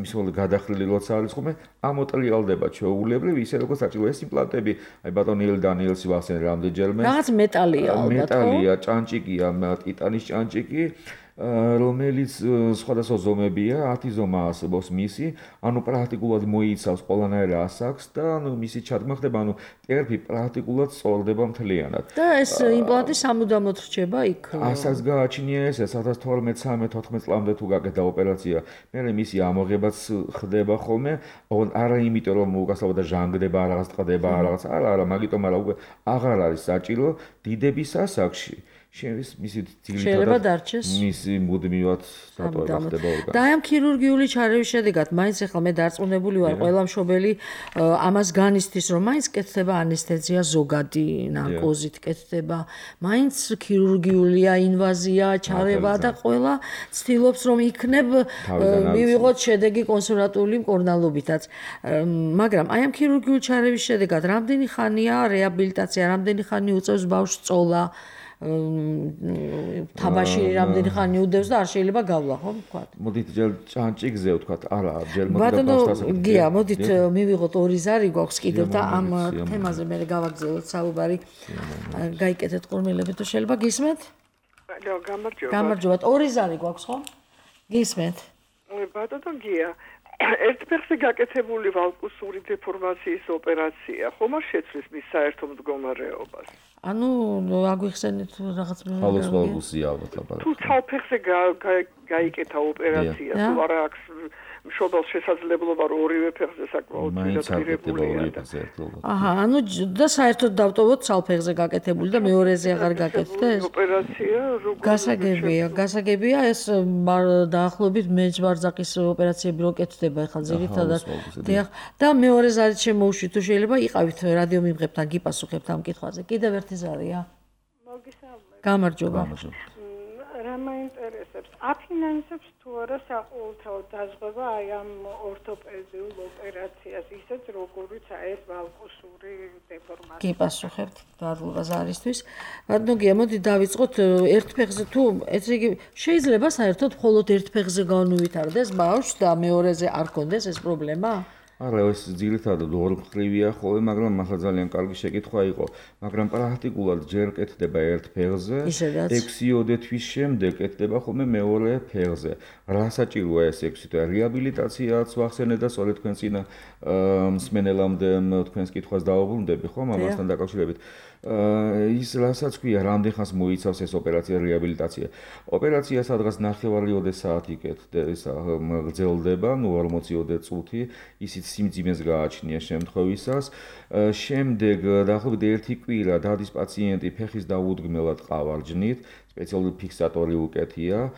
C: მისულ გადახრილი როცა არის ხოლმე, ამოტრიალდება ჩვეულებრივ, ისე როგორც საჭირო ეს იმპლანტები, აი ბატონი ელი დანიელსი ვახსენე რამდენჯერმე.
B: რაღაც მეტალია ალბათ, ხო?
C: მეტალია, ჭანჭიკია, ტიტანის ჭანჭიკი. რომელიც სხვადასხვა ზომებია, 10 ზომა არსებობს მისი, ანუ პრაქტიკულად მოიცავს ყველანაირ ასაკს და ანუ მისი ჩადგმა ხდება, ანუ ტერფი პრაქტიკულად სწორდება მთლიანად.
B: და ეს იმპლანტი სამუდამოდ რჩება იქ.
C: ასაკს გააჩნია ეს 2012-13 წლამდე თუ გაკეთდა ოპერაცია, მერე მისი ამოღებაც ხდება ხოლმე, არა იმიტომ რომ უკასაუბრა ჟანგდება, რაღაც ტყდება, რაღაც არა, მაგიტომ არა, უკვე აღარ არის საჭირო დიდების ასაკში. მისი
B: შეიძლება დარჩეს
C: მისი მუდმივად დატოვება ხდება ორგანიზმში.
B: და ამ ქირურგიული ჩარევის შედეგად მაინც ახლა მე დარწმუნებული ვარ, ყველა მშობელი ამას განიცდის, რომ მაინც კეთდება ანესთეზია ზოგადი ნარკოზით კეთდება, მაინც ქირურგიულია ინვაზია, ჩარევა და ყველა ცდილობს რომ იქნებ მივიღოთ შედეგი კონსერვატული მკურნალობითაც. მაგრამ აი ამ ქირურგიული ჩარევის შედეგად რამდენი ხანია რეაბილიტაცია, რამდენი ხანი უწევს ბავშვს წოლა, თამაში რამდენი ხანი უდევს და არ შეიძლება გავლა, ხო, ვთქვათ.
C: მოდით ჯერ ჭანჭიგზე ვთქვათ, არა, ჯერ მოდით
B: ბატონო, გია, მოდით მივიღოთ 2 ზარი გვაქვს კიდევ და ამ თემაზე მე გავაგზავნოთ საუბარი. გაიკეთეთ ყურმილები თუ შეიძლება გისმენთ?
E: გამარჯობა.
B: გამარჯობა. 2 ზარი გვაქვს, ხო? გისმენთ?
E: ბატონო გია, ერთფეხზე გაკეთებული ვალკუსური დეფორმაციის ოპერაცია ხომ არ შეცვლის მის საერთო მდგომარეობას?
B: ანუ აგვიხსენეთ რაღაც
C: ხალოს ვალკუსია ალბათ.
E: თუ თავფეხზე გაიკეთა ოპერაცია, თუ არა აქვს მშობელს შესაძლებლობა რომ ორივე ფეხზე საკმაოდ პირდაპირებულია.
B: აჰა, ანუ და საერთოდ დავტოვოთ ცალფეხზე გაკეთებული და მეორეზე აღარ გაკეთდეს?
E: ოპერაცია
B: გასაგებია ეს დაახლოებით მეჯვარძაკის ოპერაციები რო კეთდება ახლა ძირითადად. და მეორე ზარით შემოუშვით თუ შეიძლება იყავით რადიო მიმღებთან გიპასუხებთ ამ კითხვაზე. კიდევ ერთი ზარია.
F: მოგესალმებით.
B: გამარჯობა.
F: რა მაინტერესებს? აფინანსებს თუ არა საყოველთაო დაზღვევა აი ამ ორთოპედიულ ოპერაციას, ისეთ როგორიც აი ეს ვალკუსური დეფორმაცია.
B: გიპასუხებთ დადლობა ზარისთვის. ბატონო გია, მოდი დავიწყოთ ერთ ფეხზე თუ ესე იგი შეიძლება საერთოდ მხოლოდ ერთ ფეხზე განუვითარდეს ბავშვს და მეორეზე არ კონდეს ეს პრობლემა?
C: არა, ეს ძირითადად ორმხრივია ხოლმე, მაგრამ ახლა ძალიან კარგი შეკითხვა იყო. მაგრამ პრაქტიკულად ჯერ კეთდება ერთ ფეხზე, 6-7 თვის შემდეგ კეთდება ხოლმე მეორე ფეხზე. რა საჭიროა ეს 6 თვე? რეაბილიტაციაც ვახსენე და სწორედ თქვენ წინა მსმენელამდე თქვენს კითხვას დავუბრუნდები, ხო, ამასთან დაკავშირებით. ის რასაც ქვია, რამდენ ხანს მოიცავს ეს ოპერაცია რეაბილიტაცია. ოპერაცია სადღაც 9-10 საათი გრძელდება, 40 წუთი, ისიც სიმძიმეს გააჩნია შემთხვევისას. შემდეგ დაახლოებით 1 კვირა დადის პაციენტი ფეხის დაუდგმელად ყავარჯნით, სპეციალური ფიქსატორი უკეთია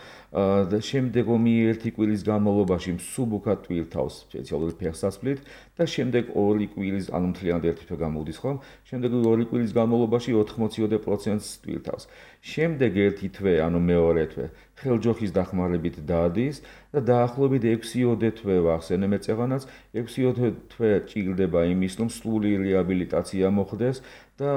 C: და შემდეგ ომი 1 კვირის განმავლობაში მსუბუქად ტვირთავს სპეციალური ფეხსაცმლით და შემდეგ 2 კვირის, ანუ მთლიანად 1 თვე გამოდის ხომ? შემდეგ 2 კვირის განმავლობაში 80% ტვირთავს. შემდეგ 1 თვე, ანუ მეორე თვე, ხელჯოხის დახმარებით დადის და დაახლოებით 6-7 თვე ვახსენე მეწევანაც, 6-7 თვე ჭირდება იმის, რომ სრული რეაბილიტაცია მოხდეს და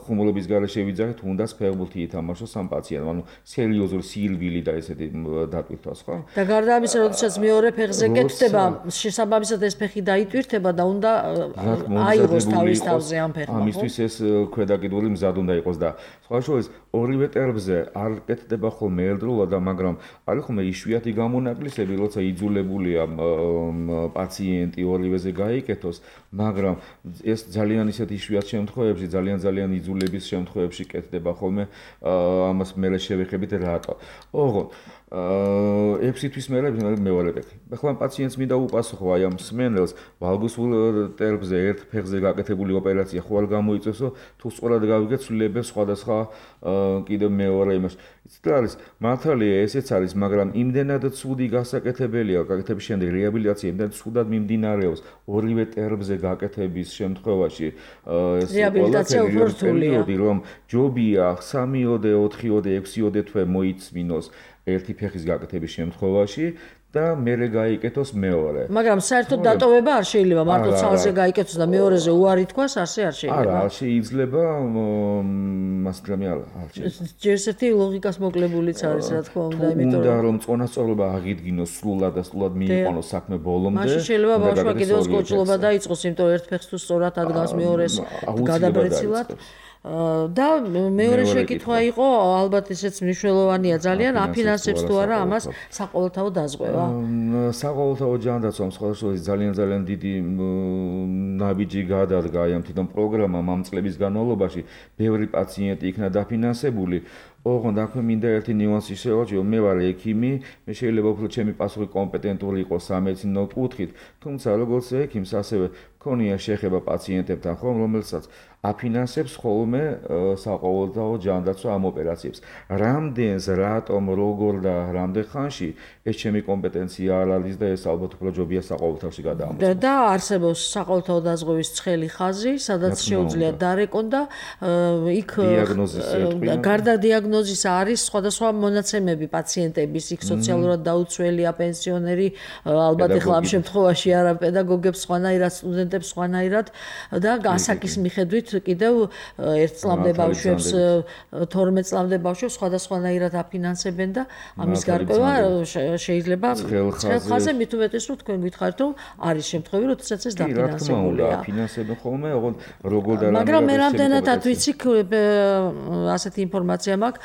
C: ხუმრობის გარეშე ვიძახით, უნდაც ფეხბურთი ითამაშოს ამ პაციენტმა, ანუ სერიოზული სირბილი და ესეთი დატვირთვას, ხო?
B: და გარდა ამისა, როდესაც მეორე ფეხზე კეთდება, შესაბამისად ეს ფეხი დაიტვირთება და უნდა აიღოს თავის თავზე ამ ფეხმა, ხო?
C: ამისთვის ეს ქვედაკიდული მზად უნდა იყოს და სხვა შორის ორივე ტერბზე არ კეთდება ხოლმე ერთდროულად, მაგრამ არის ხოლმე იშვიათი გამონაკლისები, როცა იძულებულია პაციენტი ორივეზე გაიკეთოს, მაგრამ ეს ძალიან ისეთ იშვიათ შემთხვევებში, ძალიან იძულების შემთხვევებში კეთდება ხოლმე, ამას მერე შევეხებით რატო. ოღონდ 6 თვის მერე მეორე ფეხი. ახლა პაციენტს მინდა უპასუხო აი ამ მსმენელს, ვალგუსულ ტერბზე ერთ ფეხზე გაკეთებული ოპერაცია ხო არ გამოიწევსო, თუ სწორად გავიგეთ ცვლილებებს სხვადასხვა კიდევ მეორე იმას. იცით რა არის? მართალია ესეც არის, მაგრამ იმდენად ცუდი გასაკეთებელია გაკეთების შემდეგ რეაბილიტაცია, იმდენად ცუდად მიმდინარეობს ორივე ტერბზე გაკეთების შემთხვევაში ეს
B: რეაბილიტაცია უფრო რთულია,
C: რომ ჯობია 3-4, 6 თვე მოიწმინოს ერთი ფეხის გაკეთების შემთხვევაში და მერე გაიკეთოს მეორე.
B: მაგრამ საერთოდ დატოვება არ შეიძლება, მარტო ცალზე გაიკეთოს და მეორეზე უარი თქვას, ასე არ შეიძლება.
C: არა, არ შეიძლება, მასგრამი არ შეიძლება.
B: ჯერს ერთი ლოგიკას მოკლებულიც არის, რა თქმა უნდა, იმიტომ
C: უნდა რომ წონასწორობა აღიდგინოს სრულად და სრულად მიიყვანოს საქმე ბოლომდე.
B: მაშინ შეიძლება ბავშვმა კიდევ კოჭლობა დაიწყოს, იმიტომ ერთ ფეხს თუ სწორად ადგას მეორეს გადაბრეცილად. და მეორე შეკითხვა იყო, ალბათ ესეც მნიშვნელოვანია ძალიან, აფინანსებს თუ არა ამას საყოველთაო დაზღვევა.
C: საყოველთაო ჯანდაცვამ სხვადასხვა ძალიან დიდი ნაბიჯი გადადგა აი ამ თვითონ პროგრამამ ამ წლების განმავლობაში, ბევრი პაციენტი იქნა დაფინანსებული. ოღონდ აქვე მინდა ერთი ნიუანსი შევაჩიო, მე ვარ ექიმი, მე შეიძლება უფრო ჩემი პასუხი კომპეტენტური იყოს სამედიცინო კუთხით, თუმცა როგორც ექიმს ასევე მქონია შეხება პაციენტებთან, ხომ, რომელსაც აფინანსებს ხოლმე საყოველთაო ჯანდაცვა ამ ოპერაციებს. რამდენს, რატომ, როგორ და რამდენ ხანში ეს ჩემი კომპეტენცია არ არის და ეს ალბათ უფრო ჯობია საყოველთაოში გადაამოწმოს.
B: და არსებობს საყოველთაო დაზღვევის ცხელი ხაზი, სადაც შეუძლია დარეკონ და იქ გარდა დიაგნოზისა არის სხვადასხვა მონაცემები პაციენტების, იქ სოციალურად დაუცველია, პენსიონერი, ალბათ ეხლა ამ შემთხვევაში არა პედაგოგებს სხვანაირად, სტუდენტებს სხვანაირად და ასაკის მიხედვით კიდევ 1 წლამდე ბავშვებს, 12 წლამდე ბავშვებს სხვადასხვანაირად აფინანსებენ და ამის გარკვევა შეიძლება ცხელხაზე მით უმეტეს რომ თქვენ გითხარით რომ არის შემთხვევები როდესაც ეს დაფინანსებულია.
C: აფინანსებენ ხოლმე, ოღონდ როგორ და
B: მაგრამ მე რამდენადაც ვიცი ასეთი ინფორმაცია მაქვს,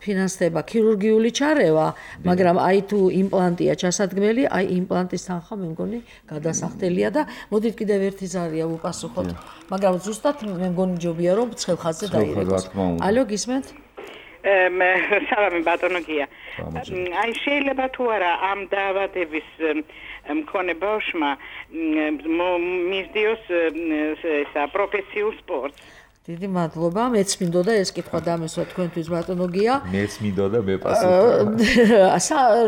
B: ფინანსდება ქირურგიული ჩარევა, მაგრამ აი თუ იმპლანტია ჩასადგმელი, აი იმპლანტის თანხა მე მგონი გადასახდელია და მოდით კიდევ ერთი ზარია ვუპასუხოთ. მაგრამ ზუსტად მე მგონი ჯობია რომ ცხელხაზზე დაირეკოს. ალო გისმენთ?
G: სალამი ბატონო გია. აი შეიძლება თუ არა ამ დაავადების მქონე ბავშვმა მისდიოს ესა პროფესიულ სპორტს.
B: დიდი მადლობა, მეც მინდოდა ეს კითხვა დამესვა თქვენთვის ბატონო გია.
C: მეც მინდოდა მე პასუხი.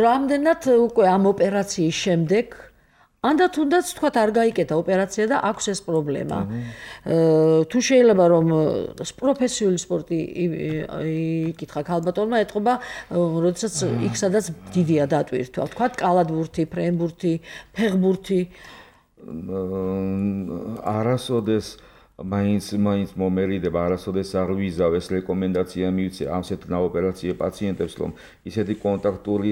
B: რამდენად უკვე ამ ოპერაციის შემდეგ ანდ თუნდაც თქვათ არ გაიკეთა ოპერაცია და აქვს ეს პრობლემა. თუ შეიძლება რომ პროფესიული სპორტი იკითხა ქალბატონმა ეთყობა, როდესაც იქ სადაც დიდია დატვირთვა, თქვათ კალათბურთი, ფრენბურთი, ფეხბურთი.
C: არასოდეს მაინც მომერიდება, არასოდეს არ ვიზავ ეს რეკომენდაცია მივცე ამ ასეთ ოპერაციებს პაციენტებს, რომ ისეთი კონტაქტური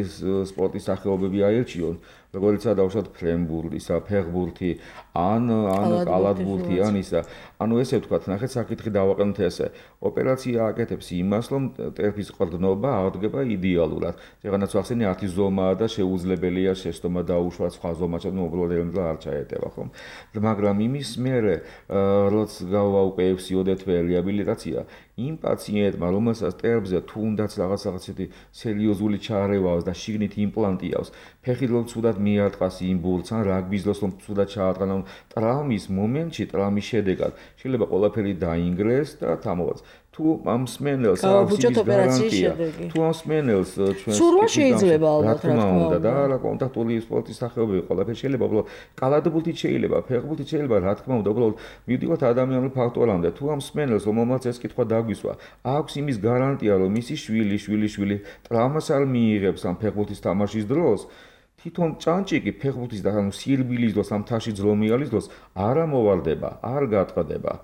C: სპორტის სახეობები აერჩიონ, როგორიცაა დავუშვათ ფრენბურთი, ფეხბურთი, ან კალათბურთი, ან ისა. ანუ ესე ვთქვათ, ნახეთ, საკითხი დავაყენოთ ესე. ოპერაცია აკეთებს იმას, რომ ტერფის ყრდნობა აღდგება იდეალურად. შეღანაც ახსენე 10 ზომაა და შეუძლებელია შეცდომა დაუშვათ სხვა ზომაჩად, უბრალოდ ელემენტად არ ჩაეტევა, ხომ? მაგრამ იმის მერე, როცა გავა უკვე 6-ოდე თვე რეაბილიტაცია, იმ პაციენტმა, რომელსაც ტერფზე თუნდაც რაღაცეთი სერიოზული ჩარევა აქვს და შიგნით იმპლანტი აქვს, ფეხი რომ ცუდად მიარტყას იმ ბურთს, ან რაგბის დროს რომ ცუდად ჩაატყანა, ტრავმის მომენტში, ტრავმის შედეგად შეიძლება ყველაფერი დაინგრეს და თამოვაც. თუ ამ სმენელს აქვს გარანტია, თუ ამ სმენელს ჩვენ
B: სურვა შეიძლება ალბათ
C: რა თქმა უნდა და რა კონტაქტური სპორტის სახეობები ყველაფერი შეიძლება, უბრალოდ კალათბურთით შეიძლება, ფეხბურთით შეიძლება, რა თქმა უნდა, უბრალოდ მივდივართ ადამიანურ ფაქტორამდე. თუ ამ სმენელს რომელმაც ეს კითხვა დაგვისვა, აქვს იმის გარანტია, რომ მისი შვილი ტრავმას არ მიიღებს ამ ფეხბურთის თამაშის დროს, თვითონ ჭანჭიკი ფეხბურთის და ანუ სირბილის დროს ამ თაში ძრომიალის დროს არ ამოვარდება, არ გატყდება.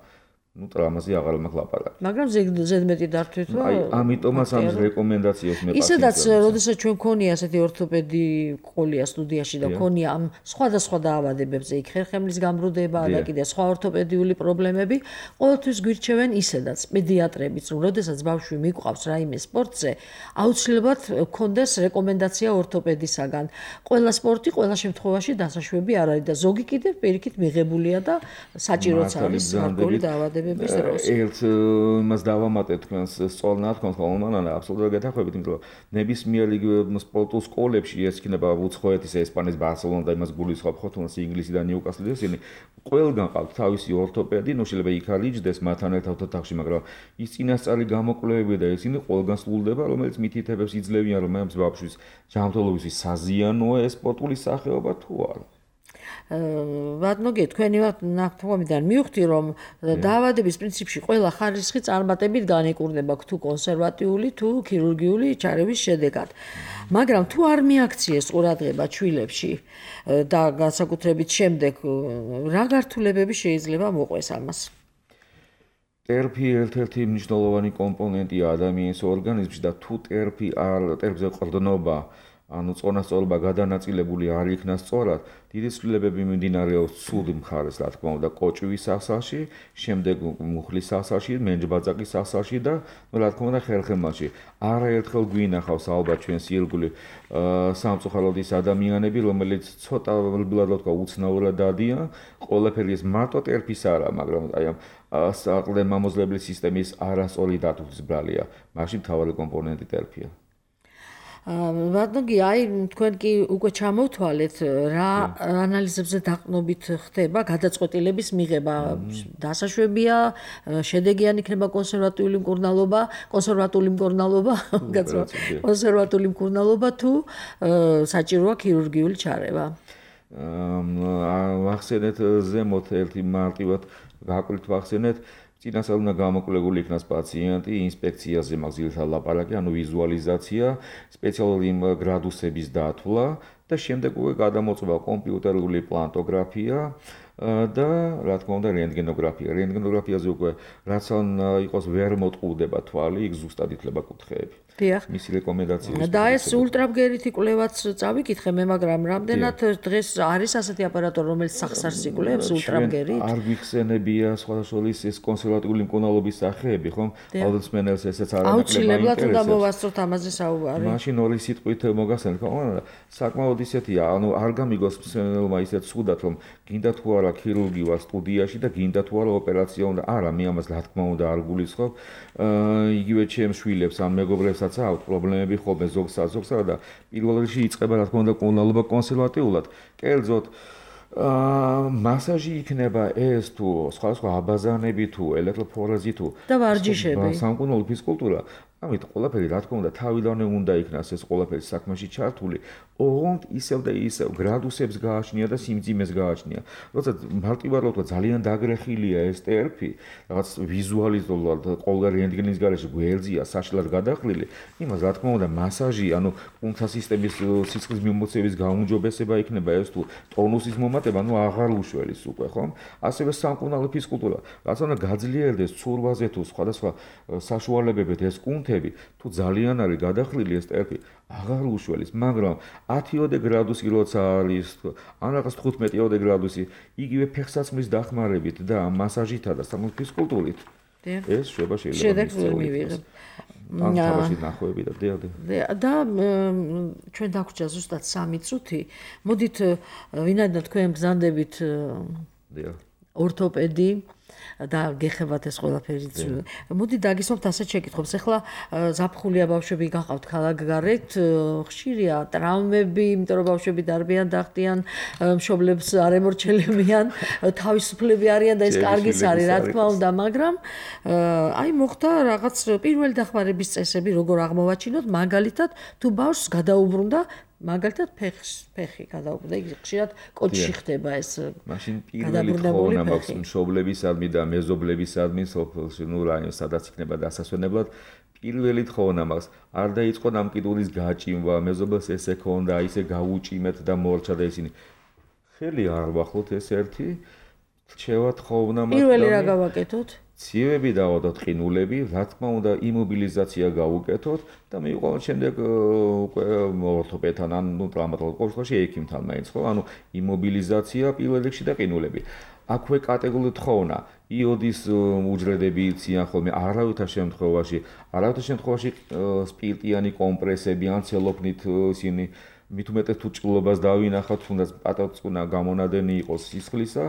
C: ნუ ტრამაზე აღარ მაქვს ლაპარაკი.
B: მაგრამ ზედმეტი დართვით
C: აი, ამიტომაც ამ რეკომენდაციებს მე
B: ისედაც, როდესაც ჩვენ ქონია ასეთი ორთოპედი ყოლია სტუდიაში და ქონია ამ სხვადასხვა დაავადებებზე იქ ხერხემლის გამრუდება და კიდე სხვა ორთოპედიული პრობლემები, ყოველთვის გვირჩევენ ისედაც პედიატრებიც, რომ როდესაც ბავშვი მიყვავს რაიმე სპორტზე, აუცილებლად გქონდეს რეკომენდაცია ორთოპედისაგან. ყველა სპორტი ყველა შემთხვევაში დასაშვები არ არის და ზოგი კიდევ პირიქით მიღებულია და საჭიროც არის გარკვეული დაავადებები.
C: ერთ იმას დავამატეთ თქვენს სწორ ნათქვამს, ხოლმე აბსოლუტურად გეთანხმებით, იმიტომ რომ ნებისმიერი სპორტულ სკოლებში ეს იქნება უცხოეთის, ესპანეთის, ბარსელონა და იმას გულისხმობ, ხო თუნდაც ინგლისი და ნიუკასლი ისინი ყველგან ყავთ თავისი ორთოპედი, ნუ შეიძლება იქ არ იჯდეს მათთან ერთად ოთახში, მაგრამ ის წინასწარი გამოკვლევები და ისინი ყველგან სრულდება, რომელიც მითითებებს იძლევიან, რომ ამ ბავშვის ჯანმრთელობისთვის საზიანოა ეს სპორტული სახეობა თუ არა.
B: ბატონო გე თქვენი ნათქვამიდან მივხვდი რომ დაავადების პრინციპში ყველა ხარისხი წარმატებით განეკურნება თუ კონსერვატიული თუ ქირურგიული ჩარევის შედეგად. მაგრამ თუ არ მიაქციეს ყურადღება ჩვილებში და განსაკუთრებით შემდეგ რა გართულებები შეიძლება მოყვეს ამას?
C: ტერფი ერთ-ერთი მნიშვნელოვანი კომპონენტია ადამიანის ორგანიზმში და თუ ტერფზე ყრდნობა ანუ წონასწორობა გადანაწილებული არ იქნა სწორად, დიდი ცვლილებები მიმდინარეობს ცუდი მხარეს, რა თქმა უნდა, კოჭვის სასახლში, შემდეგ მუხლის სასახლში, მენჯბაძაკის სასახლში და, რა თქმა უნდა, ხერხემალში. არაერთხელ გვინახავს ალბათ ჩვენს ირგვლივ სამწუხაროდ ის ადამიანები, რომელიც ცოტა ვთქვა უცნაურად დადიან, ყველაფერი ეს მარტო ტერფის არა, მაგრამ აი ამ საყრდენ-მამოძლებლის სისტემის არასწორი დათვლის ბრალია. მაშინ მთავარი კომპონენტი ტერფია.
B: ბატონი, აი თქვენ კი უკვე ჩამოვთვალეთ რა ანალიზებზე დაყნობით ხდება გადაწყვეტილების მიღება. დასაშვებია, შედეგიანი იქნება კონსერვატიული მკურნალობა თუ საჭიროა ქირურგიული ჩარევა.
C: ვახსენეთ ზემოთ ერთი მარტივად გაკვირთ ვახსენეთ წინასწარ უნდა გამოკვლეული იქნას პაციენტი, ინსპექციაზე მაქვს ძირითადად ლაპარაკი, ანუ ვიზუალიზაცია, სპეციალური გრადუსების დათვლა და შემდეგ უკვე გადამოწვა კომპიუტერული პლანტოგრაფია და რა თქმა უნდა რენტგენოგრაფია. რენტგენოგრაფიაზე უკვე რაც ან იყოს ვერ მოტყუდება თვალი, იქ ზუსტად ითლება კუთხეები.
B: დიახ.
C: მისი რეკომენდაციები.
B: და ეს ულტრაბგერითი კვლევაც წავიკითხე მე, მაგრამ რამდენად დღეს არის ასეთი აპარატურა, რომელიც სახსარს იკვლევს ულტრაბგერით?
C: არ გვიხსენებია სხვადასხვა ის კონსერვატიული მკურნალობის სახეები, ხომ? აუდიტმენელს ესეც არ აკლება.
B: აუცილებლად უნდა მოვასწროთ ამაზე საუბარი.
C: მაშინ ორი სიტყვით მოგახსენებ, ხო? საკმაოდ ისეთია, ანუ არ გამიგოს მსმენელმა ისეთ ცუდად, რომ გინდა თუ არა ქირურგია სტუდიაში და გინდა თუ არა ოპერაცია უნდა. არა, მე ამას რა თქმა უნდა არ გულისხმობ. იგივე ჩემს შვილებს ან მეგობრებსაც აქვს პრობლემები ხოლმე ზოგსა და პირველ რიგში იწყება რა თქმა უნდა კურნალობა კონსერვატიულად. კერძოდ მასაჟი იქნება ეს თუ სხვა აბაზანები თუ ელექტროფორეზი თუ
B: და ვარჯიშები.
C: სამკურნალო ფიზკულტურა. ამით ყველაფერი რა თქმა უნდა თავიდანვე უნდა იქნას ეს ყველაფერი საქმეში ჩართული. ოღონდ ისევ და ისევ გრადუსებს გააჩნია და სიმძიმეს გააჩნია. როცა მარტივად ვთქვა ძალიან დაგრეხილია ეს ტერფი, რაღაც ვიზუალიზულად ყოველ რენტგენის გარეშე გვერდზია საშლად გადახრილი, იმას რა თქმა უნდა მასაჟი, ანუ კუნთთა სისტემის სისხლის მიმოქცევის გაუმჯობესება იქნება ეს თუ ტონუსის მომატება, ანუ აღარ უშველის უკვე, ხომ? ასევე სამკურნალო ფიზკულტურა, რაც უნდა გაძლიერდეს ცურვაზე თუ სხვადასხვა საშუალებებით ეს კუნთები, თუ ძალიან არის გადახრილი ეს ტერფი, აღარ უშველის, მაგრამ 10-ოდე გრადუსი როცა არის, ან რაღაც 15-ოდე გრადუსი, იგივე ფეხსაცმლის დახმარებით და მასაჟითა და სამკურნალო ფიზკულტურით ეს შვება შეიძლება
B: შედეგს ვერ მივიღებ.
C: ან თავში ნახვები და
B: და ჩვენ დაგვჭირდა ზუსტად 3 წუთი. მოდით ვინაიდან თქვენ ბრძანდებით ორთოპედი და გეხებათ ეს ყველაფერი. მოდი დაგისვამთ ასეთ შეკითხვებს. ახლა ზაფხულია ბავშვები გახავთ ქალაქგარეთ, ხშირია ტრაუმები, იმიტომ რომ ბავშვები დარბიან, დახტიან, მშობლებს არ ემორჩილებიან, თავისუფლები არიან და ეს კარგიც არის, რა თქმა უნდა, მაგრამ აი მოხდა რაღაც პირველი დახმარების წესები, როგორ აღმოვაჩინოთ, მაგალითად, თუ ბავშვს გადაუბრუნდა მაგალითად ფეხი გადაუბრუნდა, იგი ხშირად კოჭში ხდება ეს.
C: მაშინ პირველი თხოვნა მაქვს მშობლებისადმი და მეზობლებისადმი სოფელში, ნუ რაიონში, სადაც იქნება დასასვენებლად, პირველი თხოვნა მაქვს, არ დაიწყო ნამკიდულის გაჭიმვა, მეზობელს ესე ქონდა, ისე გაუჭიმეთ და მორჩა და ისინი. ხელი არ ვახლოთ ეს ერთი, რჩევა თხოვნა მაქვს.
B: პირველი რა გავაკეთოთ?
C: ცივები დავადოთ, ყინულები, რა თქმა უნდა, იმობილიზაცია გავუკეთოთ და მივყავთ შემდეგ უკვე ორთოპედთან ან ტრამატოლოგ ყოველში ექიმთან მაინც ხო? ანუ იმობილიზაცია პირველ რიგში და ყინულები. აქვე კატეგორიული თხოვნა, იოდის უჯრედები იციან ხოლმე, არავითარ შემთხვევაში სპირტიანი კომპრესები ან ცელოფნით ისინი მით უმეტეს თუ ჭრილობას დავინახავთ, თუნდაც პატაწყუნა გამონადენი იყოს სისხლისა,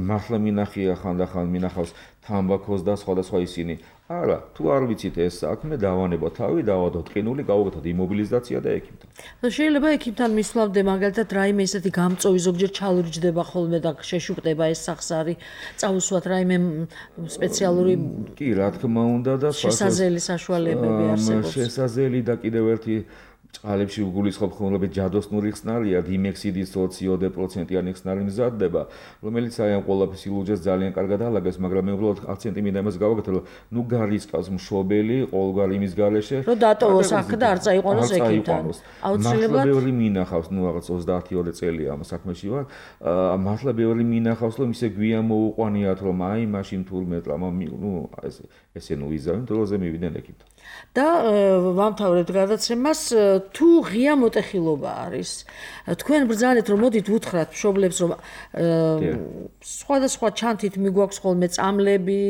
C: მართლა მინახია ხანდახან მინახავს თამბაქოს და სხვადასხვა ისინი. არა, თუ არ ვიცით ეს საქმე, დავანებოთ თავი, დავადოთ ყინული, გავუკეთოთ იმობილიზაცია და ექიმთან.
B: შეიძლება ექიმთან მისვლამდე მაგალითად რაიმე ესეთი გამწოვი ზოგჯერ ჩალურჯდება ხოლმე და შეშუპდება ეს სახსარი, წავუსვათ რაიმე სპეციალური
C: კი, რა თქმა უნდა და
B: შესაძლებელი საშუალებები არსებობს.
C: შესაძლებელი და კიდევ ერთი წყალებში გულისხმობ ხოლმე ჯადოსნური ხსნარია, დიმექსიდის 20% ხსნარი მზადდება, რომელიც აი ამ ყველაფერს ილუჯეს ძალიან კარგად ალაგებს, მაგრამ მე უბრალოდ აქცენტი მინდა იმას გავაკეთო, რომ ნუ გარისკავს მშობელი ყოველგვარ იმის გარეშე,
B: რომ დატოვოს აქ და არ წაიყვანოს ექიმთან.
C: აუცილებლად ბევრი მინახავს, ნუ რაღაც 30-ოდე წელია ამ საქმეში ვარ, მართლა ბევრი მინახავს, რომ ისე გვიან მოუყვანიათ, რომ აი მაშინ თურმე ნუ ესე ნუ იზავენ დროზე მივიდნენ ექიმთან.
B: და ვამთავრებთ გადაცემას, თუ ღია მოტეხილობა არის, თქვენ ბრძანეთ რომ მოდით უთხრათ მშობლებს რომ სხვადასხვა ჩანთით მიგვაქვს ხოლმე წამლები,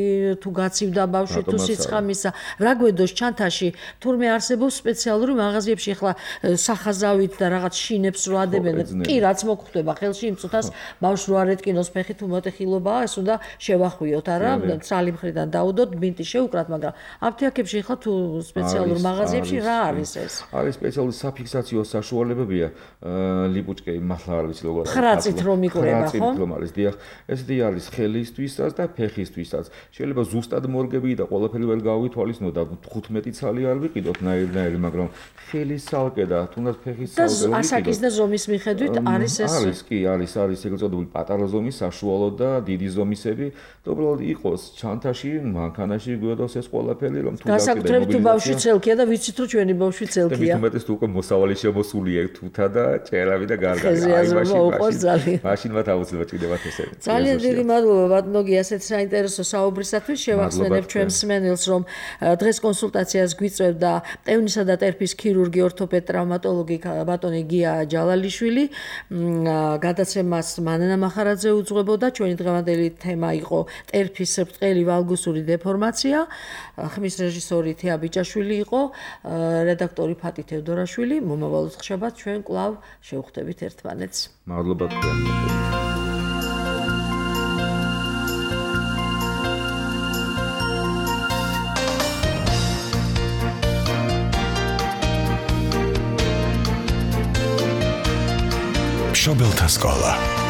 B: თუ გაცივდა ბავშვი, თუ სიცხამისა, რა გვედოს ჩანთაში, თურმე არსებობს სპეციალური მაღაზიებში ახლა სახაზავით და რაღაც შინებს რო ადებენ, კი რაც მოგხვდება ხელში იმ წუთას ბავშვს რო არ ეტკინოს ფეხი თუ მოტეხილობაა, ეს უნდა შევახვიოთ, არა, ცალი მხრიდან დაუდოთ, ბინტი შევუკრათ, მაგრამ აფთიაქებში ახლა თუ სპეციალურ მაღაზიებში რა არის ეს?
C: არის სპეციალური საფიქსაციო საშუალებებია, ლიპუჩკები მართლა არ ვიცი როგორ არის.
B: ხრაწით რომ იკვრება, ხო?
C: რომ არის, დიახ, ესეთი არის ხელისთვისაც და ფეხისთვისაც. შეიძლება ზუსტად მორგები და ყველაფერი ვერ გავითვალისწინოთ და 15 ცალი არ ვიყიდოთ ნაირ-ნაირი, მაგრამ ხელის ცალკე და თუნდაც ფეხის ცალკე
B: და ასაკის და ზომის მიხედვით არის ეს?
C: არის, კი, არის ეგრეთ წოდებული პატარა ზომის, საშუალო და დიდი ზომისები, და უბრალოდ იყოს ჩანთაში, მანქანაში გვიოდოს ეს ყველაფერი, რომ თუ
B: განსაკუთრებით თუ ბავშვი ცელკია და ვიცით რომ ჩვენი ბავშვი ცელკია.
C: და მithumetes თუ უკვე მოსავალი შემოსულია თუთა და ჭერავი და გარგარი. მაშინ მათ აუცილებლად ჭირდებათ ესენი.
B: ძალიან დიდი მადლობა ბატონო გია ასეთ საინტერესო საუბრისათვის. შევახსენებ ჩვენ მსმენელს რომ დღეს კონსულტაციას გვიწევდა ტევნისა და ტერფის ქირურგი, ორთოპედ, ტრავმატოლოგი ბატონი გია ჯალალიშვილი. გადაცემას მანანა მახარაძე უძღვებოდა. ჩვენი დღევანდელი თემა იყო ტერფის ბრტყელი ვალგუსური დეფორმაცია. ხმის რეჟისორი თეა ბიჭაშვილი იყო, რედაქტორი ფატი თევდორაშვილი. მომავალ შაბათს ჩვენ კვლავ შევხვდებით ერთმანეთს.
C: მადლობა თქვენ.
H: მშობელთა სკოლა